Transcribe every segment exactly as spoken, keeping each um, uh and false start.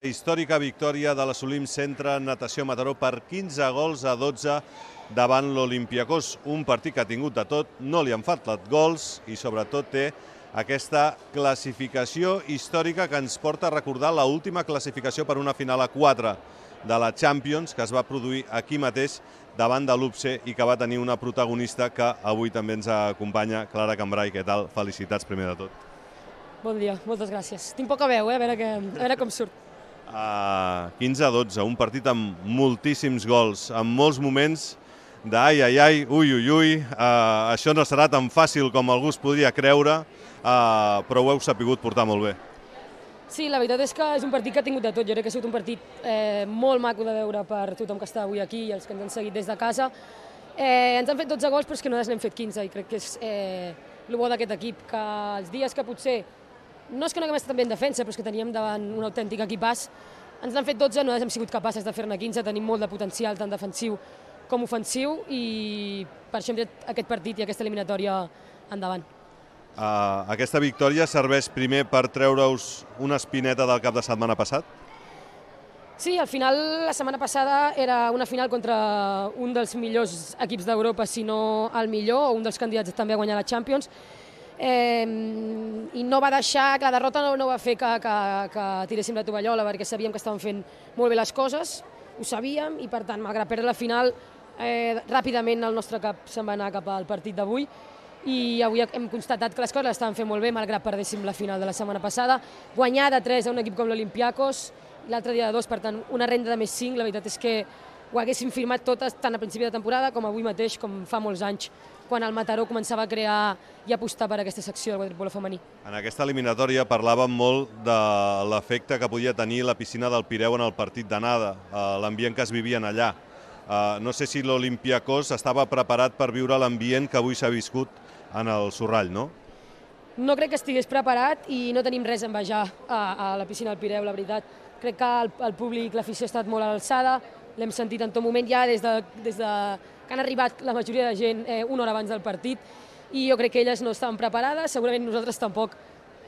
Històrica victòria de l'Assolim Centre Natació Mataró per quinze gols a dotze davant l'Olympiacos. Un partit que ha tingut de tot, no li han faltat gols i sobretot té aquesta classificació històrica que ens porta a recordar l'última classificació per una final a quatre de la Champions que es va produir aquí mateix davant de l'U P C i que va tenir una protagonista que avui també ens acompanya, Clara Cambray. Què tal? Felicitats primer de tot. Bon dia, moltes gràcies. Tinc poca veu, eh? a, veure que, a veure com surt. Uh, quinze a dotze, un partit amb moltíssims gols, amb molts moments d'ai, ai, ai, ui, ui, ui. Uh, això no serà tan fàcil com algú es podria creure, uh, però ho heu sapigut portar molt bé. Sí, la veritat és que és un partit que ha tingut de tot. Jo crec que ha sigut un partit eh, molt maco de veure per tothom que està avui aquí i els que ens han seguit des de casa. Eh, ens han fet dotze gols, però és que nosaltres n'hem fet quinze i crec que és eh, el bo d'aquest equip, que els dies que potser no és que no haguem estat també en defensa, però és que teníem davant un autèntic equipàs. Ens n'han fet dotze, nosaltres hem sigut capaces de fer-ne quinze, tenim molt de potencial, tant defensiu com ofensiu, i per això hem tret aquest partit i aquesta eliminatòria endavant. Uh, aquesta victòria serveix primer per treure-us una espineta del cap de setmana passat? Sí, al final la setmana passada era una final contra un dels millors equips d'Europa, si no el millor, o un dels candidats també a guanyar la Champions, Eh, i no va deixar, que la derrota no, no va fer que, que, que tiréssim la tovallola, perquè sabíem que estàvem fent molt bé les coses, ho sabíem, i per tant, malgrat perdre la final, eh, ràpidament el nostre cap se'n va anar cap al partit d'avui, i avui hem constatat que les coses les estaven fent molt bé, malgrat perdéssim la final de la setmana passada. Guanyar de tres a un equip com l'Olympiacos, l'altre dia de dos, per tant, una renda de més cinc, la veritat és que ho haguéssim firmat totes, tant a principi de temporada com avui mateix, com fa molts anys, quan el Mataró començava a crear i apostar per aquesta secció del waterpolo femení. En aquesta eliminatòria parlàvem molt de l'efecte que podia tenir la piscina del Pireu en el partit d'anada, l'ambient que es vivien allà. No sé si l'Olympiacos estava preparat per viure l'ambient que avui s'ha viscut en el Sorrall, no? No crec que estigués preparat i no tenim res a envejar a, a la piscina del Pireu, la veritat. Crec que el, el públic, l'afició ha estat molt a l'alçada, l'hem sentit en tot moment ja des de, des de que han arribat la majoria de gent eh, una hora abans del partit, i jo crec que elles no estaven preparades, segurament nosaltres tampoc,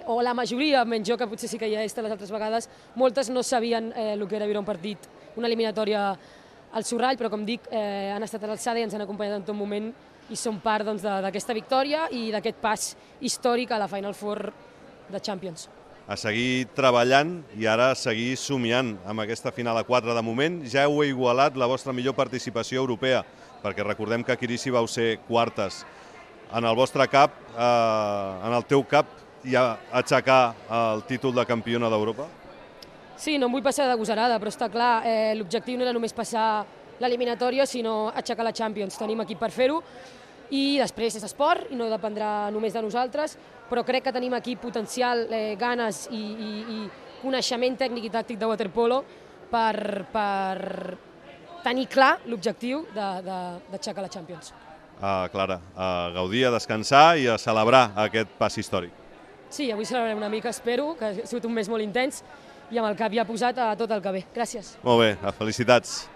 o la majoria, menys jo, que potser sí que hi ha estat les altres vegades, moltes no sabien eh, el que era viure un partit, una eliminatòria al Sorrall, però com dic, eh, han estat a l'alçada i ens han acompanyat en tot moment i són part doncs, d'aquesta victòria i d'aquest pas històric a la Final Four de Champions. A seguir treballant i ara a seguir somiant amb aquesta final a quatre. De moment ja heu igualat la vostra millor participació europea, perquè recordem que a Quirici vau ser quartes. En el vostre cap, eh, en el teu cap, hi ha aixecar el títol de campiona d'Europa? Sí, no em vull passar de gosarada, però està clar, eh, l'objectiu no era només passar l'eliminatòria, sinó aixecar la Champions. Tenim equip per fer-ho, i després és esport i no dependrà només de nosaltres, però crec que tenim aquí potencial, eh, ganes i, i, i coneixement tècnic i tàctic de waterpolo per, per tenir clar l'objectiu d'aixecar la Champions. Uh, Clara, a gaudir, a descansar i a celebrar aquest pas històric. Sí, avui celebrarem una mica, espero, que ha sigut un mes molt intens i amb el cap ja posat a tot el que ve. Gràcies. Molt bé, felicitats.